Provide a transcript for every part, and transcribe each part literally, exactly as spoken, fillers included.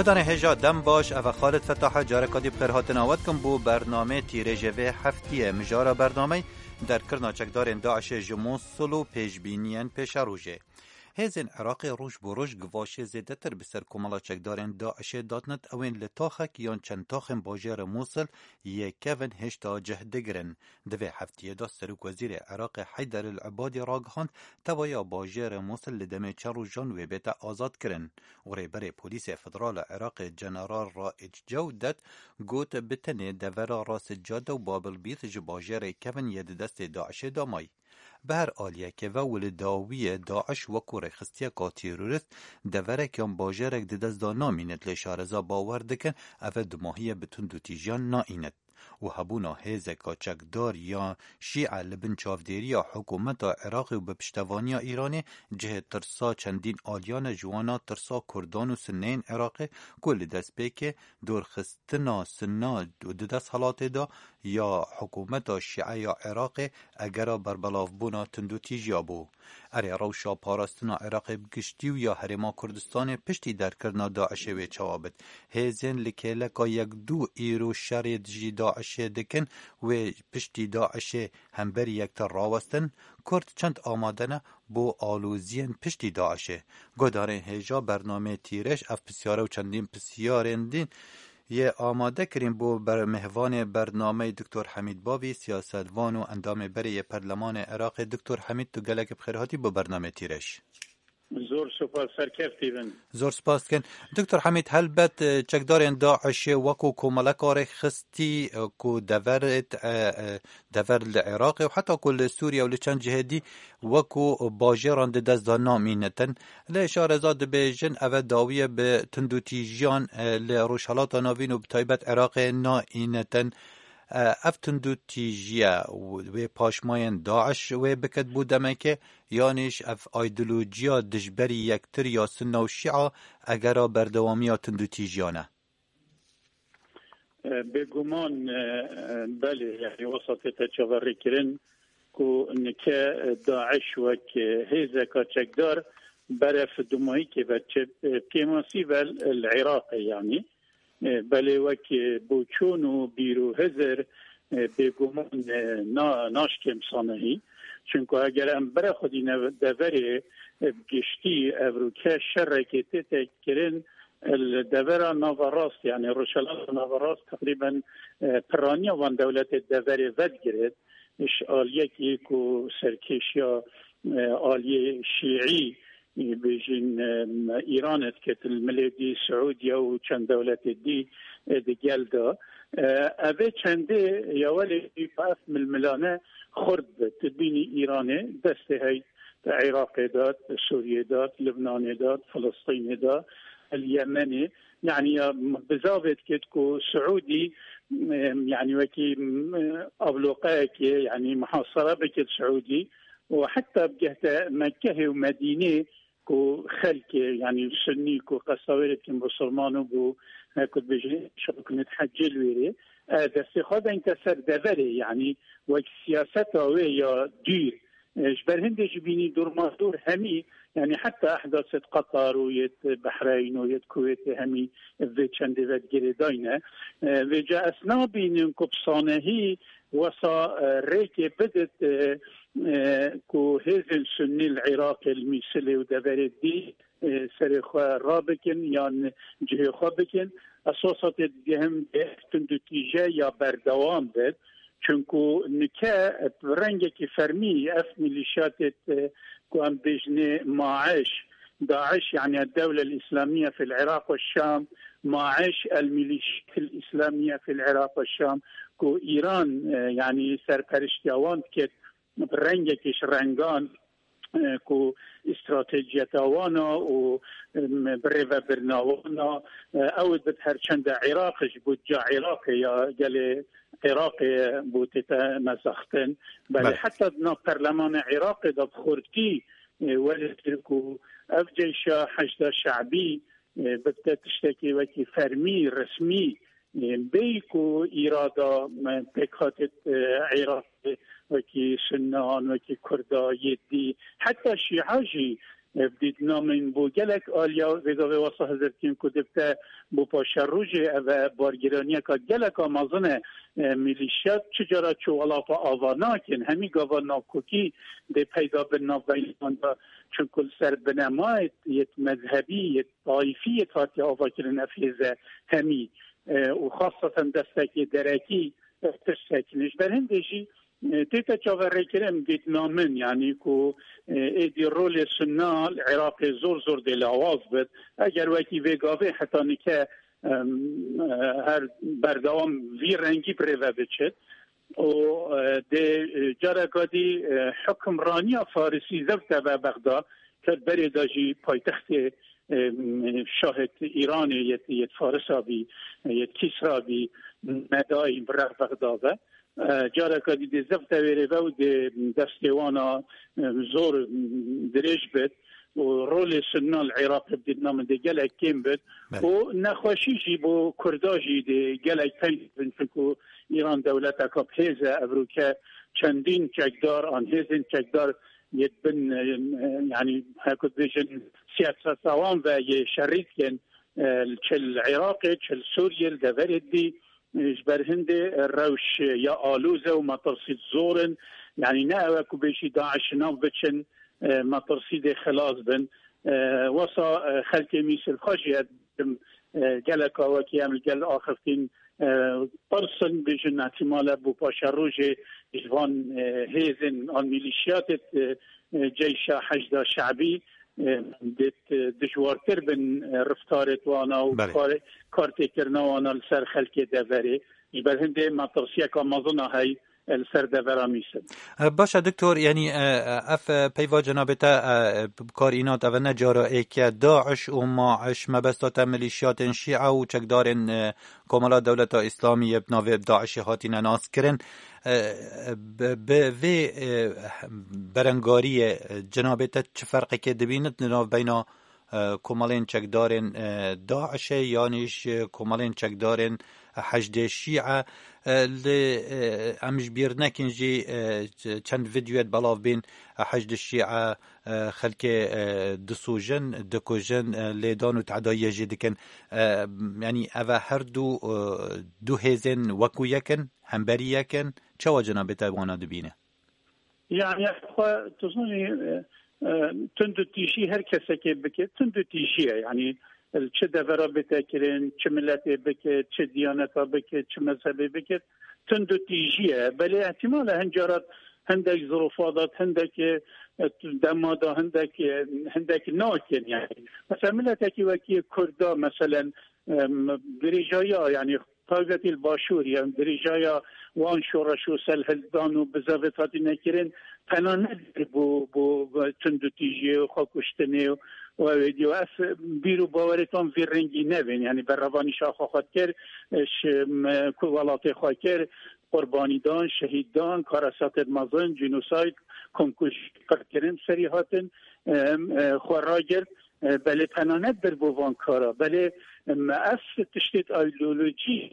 Guhdarên hêja dem baş, ev e Xalid Fetah e, careka dî bi xêr hatina we dikim bo bernameyê tîrêjê vê heftiyê. Mijara bernameyê: derkirina çekdarên DAIŞê ji Mûsil û pêşbîniyên pêşerojê. Hêzên Iraqê roj bo roj givaşê zêdetir bi ser komela çekdarên DAIŞê dadnet, ew ên li taxek yan çend taxên bajêrê Mûsil yê kevin hêşta cih digirin. Di vê heftiyê de Serokwezîrê Iraqê Heyder El Ebadî ragihand, tevahiya bajêrê Mûsil li demê çend rojan wê bête azadkirin û rêberê Polîsê Federal a Iraqê General Raîc Cewdet got, bi tenê devera Ras Cade û Babil Bît ji bajêrê kevin yê di destê DAIŞê de may. Bi her aliyekê ve û li dawiyê DAIŞ wekû rêxistiyeka terorîst deverek yan bajêrek di dest de namînit, lê şareza bawer dikin ev e dumahiyê bi tundûtîjiyan naînit û hebûna hêzeka çekdar ya şîe li bin çavdêriya hikûmeta Iraqê û bi piştevaniya Îranê cihê tirsa çendîn aliyan e, ji wana tirsa Kurdan û Sinneyên Iraqê ku li destpêkê dorxistina Sinna di desthilatê de ya hikûmeta şîe ya Iraqê egera berbelavbûna tundûtîjiya bû. Erê, rewşa parastina Iraqê bi giştî û ya Herêma Kurdistanê piştî derkirina DAIŞê wê çawa bit? Hêzên li kêleka yek du îro şerê dijî DAIŞê dikin, wê piştî DAIŞê hemberî yektir rawestin? Kurd çend amade ne bo aloziyên piştî DAIŞê? Guhdarên hêja bernameyê Tîrêj ev pisyare û çendîn pisyarên din yê amade kirin bo ber-, mêvanê bernameyê Doktor Hemîd Bavî, siyasetvan û endamê berê yê Perlemanê Iraqê. Doktor Hemîd, tu gelekî bi xêr hatî bo bernameyê Tîrêj. Zor spas, serkeftî bin. Zor spas dikin. Doktor Hemîd, helbet, e, çekdarên DAIŞê wekû komeleka rêxistî, e, ku deverêt, e, e, dever li Iraqê û heta ku li Sûriye û li çend cihê dî wekû bajêran di dest de namînitin. Lê şareza dibêjin, ev e dawiye bi tundûtîjiyan, e, li Rojhelata Navîn û bi taybet Iraqê naînitin. E, ev tundûtîjiye wê paşmayên DAIŞ wê bikit bo demekê, yanîş ev aydolojiya dijberî yektir ya Sunna û Şîa egera berdewamiya tundûtîjiyan e? E, bêguman, e, e, belê, yani wesa tête çaverêkirin ku nike, e, DAIŞ wek, e, hêzeka çekdar berev dumahîkê ve çi, e, kêmasî ve li Iraqê, yani. E, belê wek, e, boçûn û bîr û hizir, e, bêguman, e, na-, naşkêm sanehî. Çunku eger em bere xwedî ne-, deverê, e, bi giştî ev rûke şerekê tête kirin, e, li devera naverast, yani Rojhelata Naverast teqrîben, e, piraniya van dewletê deverê vedigirit. Ji aliyekî ku serkêşiya, e, aliyê şîî, e, bêjin, e, Îran e diket, li milê dî Siûdiye û çend dewletê dî, e, di gel de. E, ev ê çendê ya welê ev milmilane xurt bi. Tu bînî Îranê destê hey di Iraqê de, di Sûriyê de, di Libnanê de, di Filistînê de, li Yemenê. Yani ya bizavê diket ku Siûdî, e, yani wekî, e, abloqeyekê, yani muhasara bike Siûdî û heta bigehte Mekkehê û Medînê ku xelkê, yani Sunnî ku qesta wê dikin Musulman û ku, e, ku dibêjin şirk nitehecil wêrê, e, destê xwe dengte ser deverê, yani wek siyaseta wê ya dûr. E, ji ber hindê jî bînî dûrmadûr hemî, yani heta ehdasê di Qatar û yê di Behreyn û yê di Kuwêtê hemî vê çendê ve girêdayne. E, vêca ez nabînim ku bi sanehî wesa, e, rêkê bidit, e, e, ku hêzên Sunnî li Iraqê, li Mîsilê û deverê dî, e, serê xwe rabikin yan cihê xwe bikin. Ez wesa tê digihim bê tundûtîje ya berdewam bit. Çunku nike bi rengekî fermî ev mîlîşyatê, e, ku em bêjinê MAIŞ, DAIŞ, yani Dewle El-Îslamiye fil Iraq ve Şam, MAIŞ, El Mîlîşyat El Îslamiye fil Iraq ve Şam, ku Îran, e, yani serperiştiya wan diket, bi rengekî ji rengan, e, ku îstratejiyeta wan a û, em, birêvebirina wan a, e, ew dibit her çende Iraq ji budca Iraqê ya gelê Iraqê bû tête mezaxtin. Belê, belê, heta di nav perlemana Iraqê de bi xurtî, e, welê ku ev ceyşa Heşda Şe'bî, e, bibte tiştekî wekî fermî, resmî, e, bêyî ku îrada, e, pêkhatê, e, Iraqê wekî Sunnan, wekî Kurda, yê dî, heta Şîa jî, e, bi dîtina min bo gelek aliya vêga vê wesa hizirtîn ku dibte bo paşerojê, ev e bargiraniyeka geleka mezin e. E, milîşyat çi cara çewalafa ava nakin, hemî gava nakokî dê peyda bin navbeynawan de, çunku li ser binemayê yêt mezhebî, yêt taîfî yêt hatiye avakirin ev hêze hemî, e, û xasaten destekê derekî, e, tirsekin. Ji ber hindê jî, e, tête çaverêkirin dîtina min, yanî ku, e, êdî rolê Sunna li Iraqê zor zor dê lawaz bit. Eger wekî vê gavê heta nike, em, e, her berdewam vî rengî bi rê ve biçit û, e, dê, e, careka dî, e, hukimraniya Farisî zewte ve Bexda, ket berê de jî paytextê, e, şahê Îranê yêt, yêt Farisa bî, yêt Kîsra bî, nedayî bi rex Bexda ve. E, careka dî dê zewte wêrê ve û dê destê wana, e, zor, e, dirêj bit û rolê Sunna li Iraqê bi dîtina min dê gelek kêm bit. Belê. Û nexweşî jî bo Kurda jî dê gelek teng bin, çunku Îran dewleteka bi hêz e, evroke çendîn çekdar an hêzên çekdar yê bin, e, e, yanî her ku dibêjin siyaseta wan ve yê şerî dikin, e, çi li Iraqê, çi li Sûriyê, li deverê dî, e, ji ber hindê, e, rewş, e, ya alûz e û metirsî zor in. Yanî ne ew e ku bêjî DAIŞ nav biçin, e, metirsî dê xilas bin. E, wesa, e, xelkê Mîsir xwe jî ez dibêjim, e, geleka wekî em li gel axiftin, e, tirsin, bêjin ihtimale bo paşerojê ji van, e, hêzên an mîlîşiyatê, e, e, Ceyşa Heşda Şe'bî, e, dê, e, dijwartir bin, e, riftarê wana û Belê. kar-, kartêkirina wana li ser xelkê deverê. Ji ber hindê metirsiyeka mezin a hey, e, li ser devera Mîsir. E, baş e, Doktor, yanî, e, e, ev, e, peyva cenabê te, e, bi kar înat, ev ne cara êk e. DAIŞ û MAIŞ, mebesta te milîşiyatên Şîe û çekdarên, e, Komela Dewleta Îslamî yê bi navê DAIŞê hatine naskirin. E, bi, bi vê, e, berengariyê, e, cenabê te çi ferqekê dibînit li nav beyna, e, komelên çekdarên, e, DAIŞê yanî ji komelên çekdarên Heşdê Şîe? E, li, e, em ji bîr nekin jî, e, ç-, çend vîdyoyê belav bîn, e, Heşdê Şîe, e, xelkê, e, disûjin, dikujin, e, lêdan û tedayiyê jî dikin. E, yanî ev e her du, e, du hêzên wekû yek in, hemberî yek in. Çawa cenabê te wana dibîne? Yani, xwe, tu zanî, e, e, tund û tîjî her kesekê bike, tund û tîjî ye. Yani, li çi devera bête kirin, çi miletê bike, çi diyaneta bike, çi mezhebê bike, tund û tîjî ye. Belê ihtimal e hin cara hindek zirofa da, hindek, e, dema da, hindek, e, hindek nakin yani. Mesela miletekî wekî Kurda, meselen, em, dirêjaya, yani, taybetî li Başûr, yan dirêjaya wan şoreş û serhildan û bizavêt hatine kirin, tena nedir bo, bo, bo tund û tîjiyê û xwekuştinê û, û ew êdî. Û ez bîr û bawerê wan vî rengî nebên, yanî berevanîşa xwe xwe kir, ji, m, ku welatê xwe kir, qurbanî dan, şehîd dan, karesatên mezin, cînosayd, komkuj, qirkirin serî hatin, em, e, xwe ragirt. E, belê tena ne bir bo van kara, belê, em, ev tiştê ideolojî,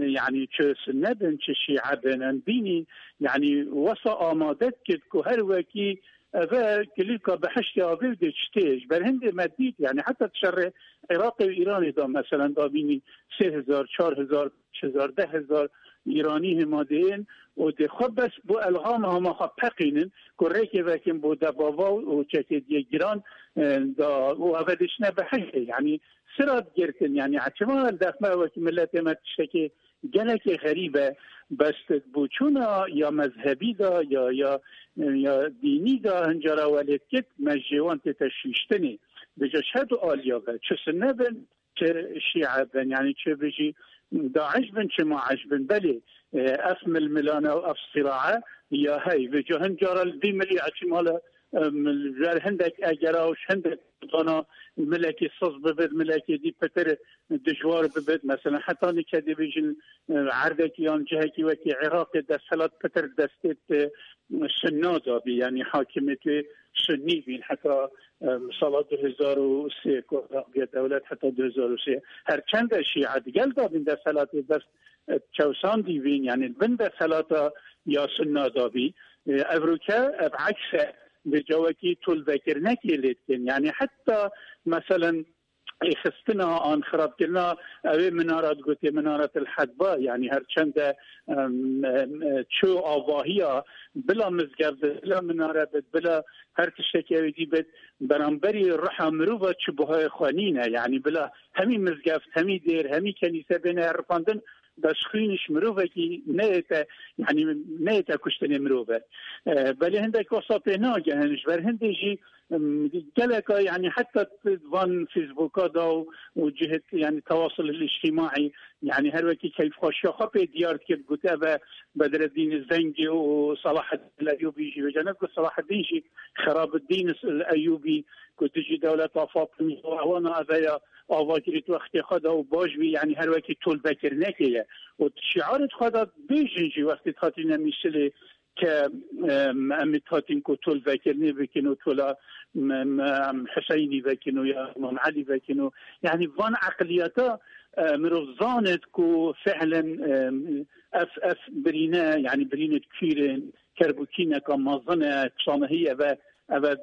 e, yani çi Sunne bin, çi Şîe bin, em bînî, yani wesa amade dikit ku her wekî eve kilîka behiştê avê dê çi tê. Ji ber hindê me dît, yani heta şerê Iraqê û Îranê da, meselen, da bînî sê hezar, çar hezar, beş hezar, deh hezar Îranî hema dê yên û dê xwe bes bo elxama hema xwe peqînin ku rêkê vekin bo debava û çekê diyê giran, e, da û eve dişine behiştê. Yani sira digirtin, yani çima dexme wekî miletê me tiştekê gelekê xerîb e, bes bo çûna ya mezhebî da, ya, ya, ya dînî da, hincara welêt kit, me ji wan tê teşwîştinê. Bêje ji her du aliya ve, çi Sunne bin, çi Şîe bin, yani çi bijî DAIŞ bin, çi MAIŞ bin. Belê, e, ev milmilane û ev sirae ya hey. Vêca hin cara li dî milî eçî mala, em, ji ber hindek egera û ji hindek dana milekî siz bibit, milekî dî pitir dijwar bibit. Mesela heta nike dibêjin, e, erdekî yan cihekî wekî Iraqê desthilat pitir destê, e, Sunna da bî, yani hakimiyetê Sunnî bîn heta, e, sala du hezar û sê ku Iraq bûye dewlet heta du hezar û sê. Her çend e Şîe digel da bîn desthilatê dest, e, çewsandî bîn, yani bin desthilata ya Sunna da bî. E, evroke ev eks e, Vê cawekî tolvekirinekê lê dikin. Yanî heta meselen êxistina an xirabkirina ew ê minara digotê Minaret el Hedba, yanî her çende, em, em, e, çû avahiya bila mizgeft bit, bila minare bit, bila her tiştekî ew ê dî bit, beramberî ruha mirova çi buhayê xwe nîne. Yanî bila hemî mizgeft, hemî dêr, hemî kenîse bêne herifandin, bes xwîn ji mirovekî neyête, yanî neyête kuştinê mirov e. E, belê hindek wesa pê nagehin, ji ber hindê jî, em, geleka, yanî heta van Facebooka da û, û cihêt, yanî tewasul îctîmaî, yanî her wekî keyfxweşiya xwe pê diyar dikir, got, ev e Bedreddîn Zengî û Selaheddîn Eyûbî jî, vêca ne ku Selaheddîn jî, Xerabeddîn Eyûbî, ku dijî dewleta Fatimî û ewana ev e ya, avakirî di wextê xwe de û baş bî, yanî her wekî tolvekirinekê ye. Û şiarê xwe de bêjin jî wextê dihatîne Mîsilê ke, em, em ê dihatin ku tolvekirinê bikin û tola, em, em, Hiseynî vekin û ya Îmam Elî vekin û, yanî van eqliyeta, e, mirov zanit ku fehlen, em, ev, ev birîne, yanî birînê kîr in, kerbûkîneka mezin e, çanehî ev e, ev e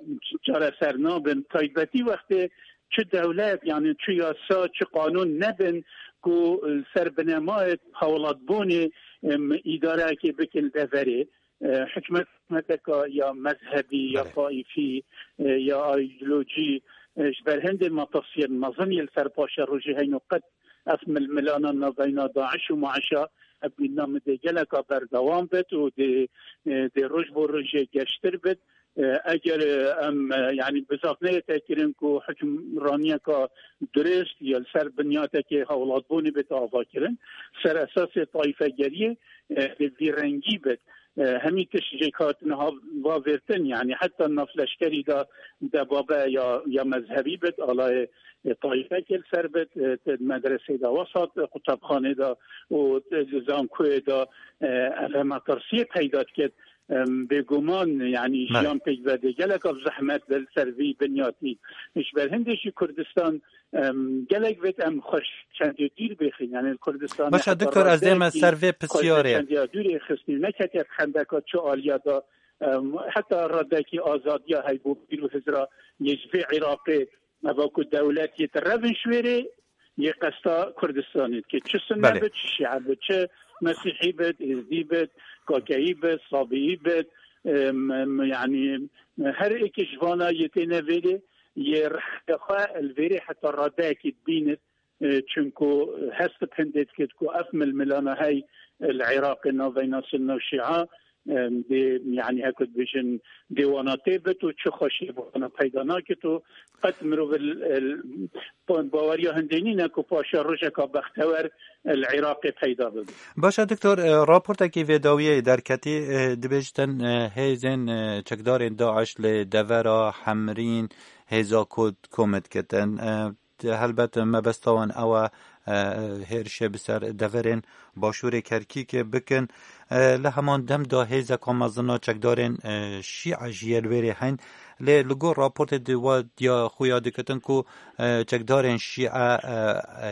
çareser nabin. Taybetî wextê çi dewlet, yanî çi yasa, çi qanûn nebin ku li ser binemayê hewlatbûnê, em, îdarekê bikin deverê. E, hikûmet, hikûmeteka ya mezhebî, ya Belê. taîfî, e, ya îdeolojî, e, ji ber hindê metirsiyên mezin yên li ser paşerojê heyno qet ev milmilana navbeyna DAIŞ û MAIŞa ev mîna min dê geleka berdewam bit û dê, e, dê roj bo rojê geştir bit. E, eger, e, em, e, yanî bizav neyête kirin ku hukimraniyeka dirist ya li ser binyatekê hewlatbûnê bit ava kirin, ser esasê taîfegeriyê, e, bi vî rengî bit. E, hemî tişt jê hatin ha-, vavêrtin, yanî heta nav leşkerî de debabe ya, ya mezhebî bit, alayê, e, taîfekê li ser bit, e, te medresê de wesat, e, qutebxanê de û, e, zankoyê de, e, ev hema tirsiyê peyda dikit. Em, bêguman, yanî Belê. jiyan pêk vedê gelek ev zehmet li ser vî binyatî. Ji ber hindê jî Kurdistan, em, gelek vêt em xweş çendê dûr bêxin. Yanî li Kurdistan Başa heta Doktor, ez dême radeyekî ser vê xweş pisyarê. çendiya dûrê xistî, neketiye xendeka çi aliya da, em, heta radekî azadiya heybo pîr û hizra yê ji vê Iraqê, eva ku dewlet yê di revin şwêrê yê qesta Kurdistanê dike. Çi sunne Belê. bit, çi şîe bit, çi mesîhî bit, êzdî bit, kakeyî bit, sabîyî bit, em, em, yanî her êkê ji vana yê têne vêrê, yê rihê xwe li vêrê heta radeyekî dibînit, e, çunku hest bi hindê dikit ku ev milmilana hey li Iraqê navbeyna Sunne û Şîa, e, dê, yanî, heko dibêjin, dê wana tê bit û çi xweşiyê bi wana peyda nakit û qet mirov li, li, baweriya hindê nîne ku paşa rojeka bextewer li Iraqê peyda bibe. Başa Doktor, e, raportekî vê dawiyê derketî, e, dibêjtin, e, hêzên, e, çekdarên DAIŞ li devera Hemrîn hêza ku komê dikitin. E, Helbet mebesta wan ew e, e, hêrişê bi ser deverên başûrê Kerkûkê bikin. E, li heman dem de hêzeka mezin a çekdarên, e, Şîe jî yê li wêrê heyn. Lê li gor raportê di wa diya xuya dikitin ku, e, çekdarên Şîe, e, e,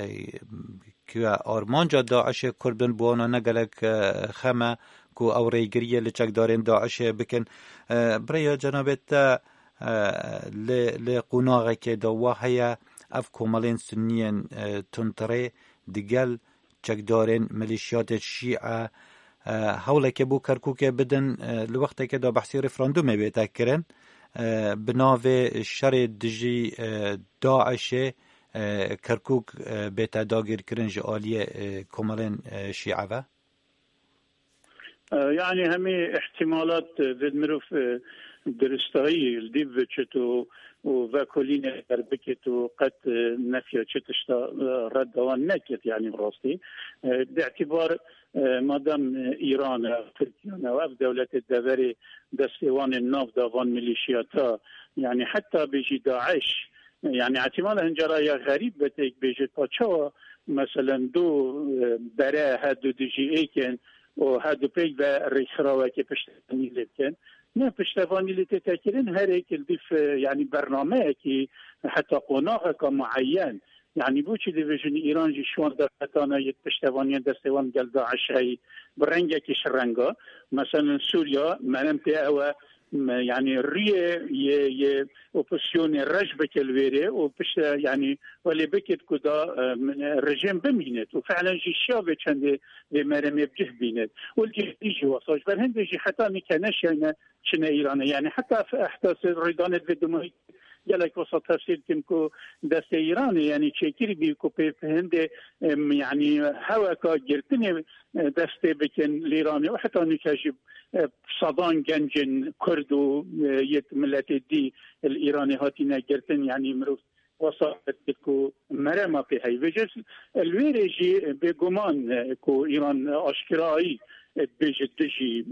ku armanca DAIŞê Kurd bin, bi wana ne gelek, e, xem e ku ew rêgiriyê li çekdarên DAIŞê bikin. E, bi rêya cenabê te, e, li, li qonaxekê de wa heye, ev komelên sunniyên, e, tundtirê digel çekdarên milîşiyatên şîe, e, hewlekê bo Kerkûkê bidin, e, li wextekê de behsî referandumê bête kirin, e, bi navê şerê dijî, e, DAIŞê, e, Kerkûk, e, bête dagirkirin ji aliyê, e, komelên, e, şîe ve? E, yanî hemî ihtimalat, e, vê mirov, e, diristayî li dîv biçit û, û vekolînê derbikit û qet, e, nefya çi tişta, e, red dewan nekit, yanî bi rastî. E, bi îtibar, e, madem, e, Îran e, Tirkiye ne, ev dewletê deverê destê wan ê nav da van milîşiyata, yanî heta bêjî DAIŞ, yanî ihtimal e hincara ya xerîb be têk bêjit, pa çawa, meselen, du, e, bere he du dijî êk in û he du pêk ve rêkxirawekê piştevanî lê bikin. Ne, piştevanî lê tête kirin, her êk li dîf, e, yanî bernameyekî heta qonaxeka mueyen. Yanî bo çi dibêjin Îran jî şiwan derfetana yê piştevaniyên destê wan gel DAIŞ heyî bi rengekî şirenga. Meselen Sûriya, merem pê ew e, m-, yanî rûyê yê, yê opozisyonê reş bike li wêrê û pişte, yanî welê bikit ku da, e, min, e, rejîm bimînit û fiilen jî şiya vê çendê vê meremê bi cih bînit. Û li cihê jî wesa ji ber hindê jî heta nîke neşiyayne çine Îranê. Yanî heta f-, heta se rûydanê divê dumahî gelek wesa tefsîr dikim ku destê Îranê, yanî çêkirî bî ku pê hindê, em, yanî heweka girtinê, e, destê bikin li Îranê û heta nûke jî, e, sedan gencên Kurd û, e, yê miletê dî li Îranê hatine girtin, yanî mirov wesa dikir ku merema pê heye. Vêce li wêrê jî bêguman, e, ku Îran aşkirayî, e, dibêje dijî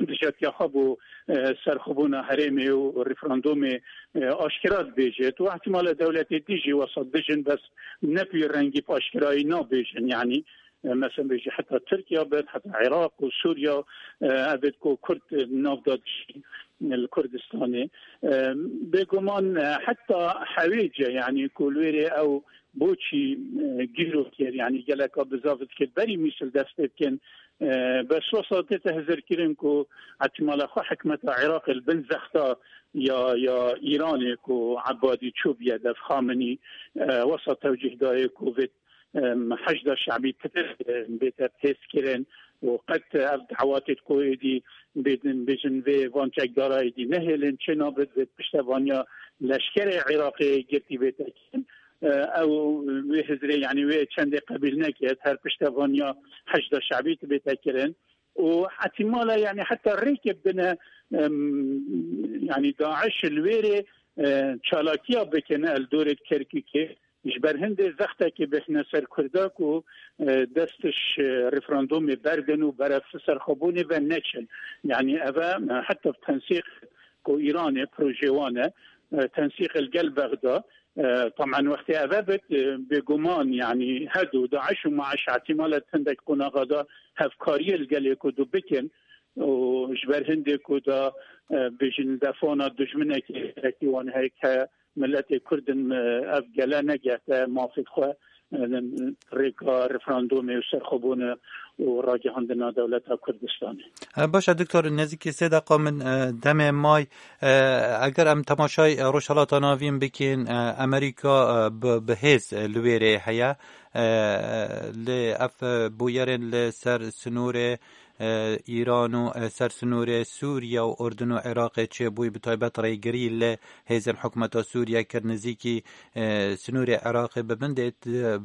dijatiya xwe bo, e, serxwebûna herêmê û referandumê, e, aşkera dibêjit û ihtimale dewletê dî jî wesa dijin bes ne bi wî rengî bi aşkerayî nabêjin. Yanî, e, mesela bêjî heta Tirkiye bin, heta Iraq û Sûriye, e, ev ê ku Kurd, e, nav da dijî, e, li Kurdistanê. E, bêguman, e, heta hewêce, yanî ku li wêrê ew boçî, e, gîro kir, yanî geleka bizav dikir berî Mîsil dest pê bikin. E, bes wesa tête hizirkirin ku ihtimala xwe hikmeta Iraqê li bin zexta ya, ya Îranê ku Ebadî çûbûye dev Xamenî, e, wesa tewcîh dayê ku vê, em, Heşda Şebî pitir, e, bête hêzkirin û qet ev dawatê ku êdî bêdin bêjin vê van çekdara êdî nehêlin, çê nabit vê piştevaniya leşkerê Iraqê girtî bête kirin. E, ew wê hizrê, yanî wê çendê qebîl neket, her piştevaniya Heşda Şebî dibête kirin. Û ihtimale, yanî heta rêkê bidine, em, yanî DAIŞ li wêrê, e, çalakiya bikine li dorê Kerkûkê, ji ber hindê zextekê bêhne ser Kurda ku, e, dest ji referandumê berdin û berev serxwebûnê ve neçin. Yanî ev e, e, heta bi tensîq ku Îranê projê wan e, e, tensîq li gel Bexda, e, tamen wextê ev e bit, e, bêguman, yanî hedo DAIŞ û MAIŞ ihtimale hindek qonaxa da hevkariyê li gelê ku du bikin û ji ber hindê ku da, e, bêjin defana dijminekê serekî wan heye ke miletê Kurd in, e, ev gele negehte mafê xwe, e, rêka referandumê û serxwebûnê û ragihandina dewleta Kurdistanê. E, baş e, Doktor, nêzîkî sê deqa min, e, demê may. E, eger em temaşay, e, Rojhelata Navîn bikin, e, Amerîka, e, bi, bi hêz, e, li wê rê heye. E, lê ev, e, bûyerên li ser sinûrê, e, Îran û, e, ser sinûrê Sûriye û Urdun û Iraqê çêbûyî, bi taybet rêgirî li hêzên hikûmeta Sûriye kir, nizîkî, e, sinûrê Iraqê bi bin dê,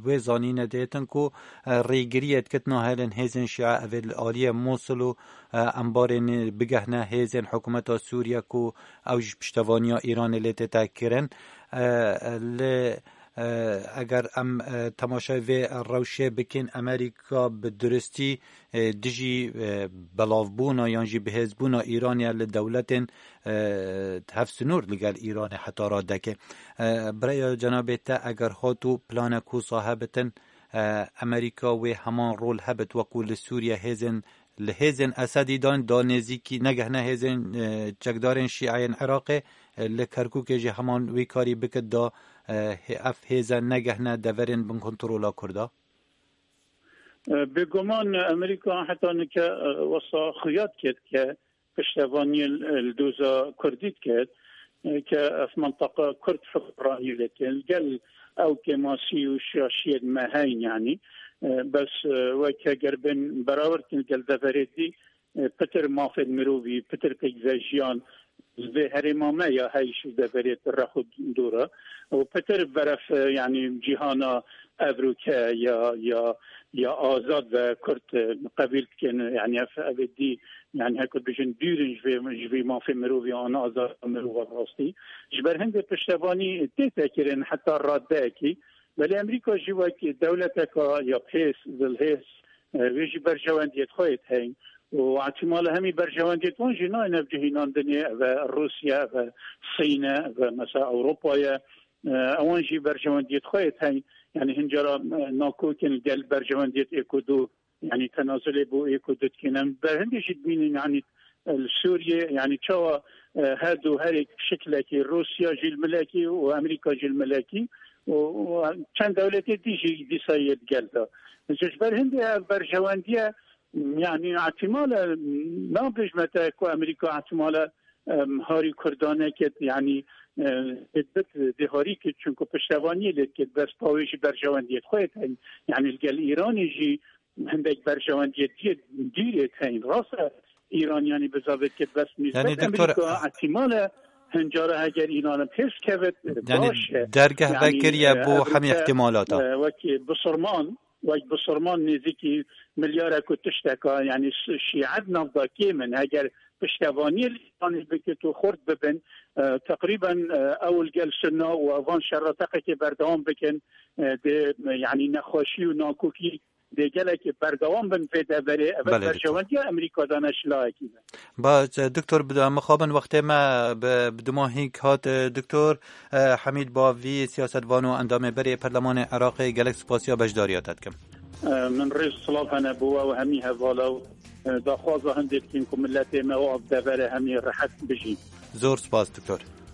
wê zanîne dêtin ku, e, rêgiriyê dikit nahêlin hêzên Şîa evê li aliyê Mûsil û, e, embarên bigehne hêzên hikûmeta Sûriye ku ew ji piştevaniya Îranê lê tête kirin. E, li, e, eger em, e, temaşayê vê rewşê bikin, Amerîka bi duristî, e, dijî, e, belavbûna yan jî bihêzbûna Îranê li dewletên, e, hevsinûr li gel Îranê heta radeke. E, bi rêya cenabê te eger hat û planek wisa hebitin, e, Amerîka wê heman rol hebit wekû li Sûriye hêzên, li hêzên Esedî dan da nêzîkî negehne hêzên, e, çekdarên Şîayên Iraqê, e, li Kerkûkê jî heman wî karî bikit da, e, hê-, ev hêze negehne deverên bin kontrola Kurda? E, bêguman Amerîka heta nike, e, wesa xuya dikir ke piştevaniyê li, li doza Kurdî dikir, e, ke ev minteqa Kurd hukmranî lê dikin. Gel ew kêmasî û şiyashiyên me heyn, yanî, e, bes, e, weke ger bên berawer dikin gel deverê dî, e, pitir mafên mirovî, pitir pêkvejiyan, vê herêma me ya heyş û deverê rex û dora û pitir beref, e, yanî cîhana evroke ya, ya, ya azad ve Kurd, e, qebîl dikin, yanî ev, ev ê dî, yanî heko bijin dûrin ji vê, ji vê mafê mirovî an azad mirova rastî. Ji ber hindê piştevanî tête kirin heta radeyekî, belê Amerîka jî wek dewleteka ya pês, zilhês, e, wê jî berjewendiyê xwe yê heyn. Û ihtimale hemî berjewendiyê wan jî nayên ev cihînandinê, ev e Rûsya, ev e Sîn e, ev e mesela Ewropa ye. E, ewan jî berjewendiyê xwe yê heyn. Yanî hincara, e, nakokin gel berjewendiyê êk û du, yanî tenazulê bo êk û du dikin. Em ber hindê jî dibînin, yanî, e, li Sûriyê, yanî çawa, e, her du herêk şiklekî Rûsya jî li milekî û Amerîka jî li milekî û, û çend dewletê dî jî dîsa yê digel de. Ji ber hindê ev berjewendiye, yanî ihtimale, nabêjme te ku Amerîka ihtimale Em, harî Kurdaneke, yanî, e, dê harî kit, çunku piştevaniyê lê dikit, bes pawê jî berjewendiyê xwe ye teyn. Yanî li gel Îranê jî hindek berjewendiyê dî-, dîrê teyn. Rast e, Îran yanî bizavê dikit, bes nîsbet Yanî, doktor, Amerîka ihtimal e, hincara heger Îran pêş kevit, yanî, baş e. Dergeh Yanî, vekiriye e, bo ev hemî rûke, ihtimalata. E, wekî bisurman, wek bisurman nêzîkî milyarek û tişteka, yanî şi-, şîe di nav de kêm in. Heger piştevaniyê li Îranê bikit û xurt bibin, e, teqrîben, e, ew li gel Sunna û evan şerre teqekê berdewam bikin, e, dê, yanî nexweşî û nakokî dê gelekê berdewam bin vê deverê. Ev Belê, doktor. Berjewendiya Amerîka de ne şilahekî be. Baş, e, doktor, bi-, mixabin wextê me bi, bi duma hîk hat, e, doktor, e, Hemîd Bavî, siyasetvan û endamê berê Perlemanê Iraqê, gelek spasiya beşdariya te dikim. E, min rêz silav hene bo we û hemî hevala û, e, daxwaza hindê dikin ku miletê me û ev devere hemî rehet bijîn. Zor spas, doktor.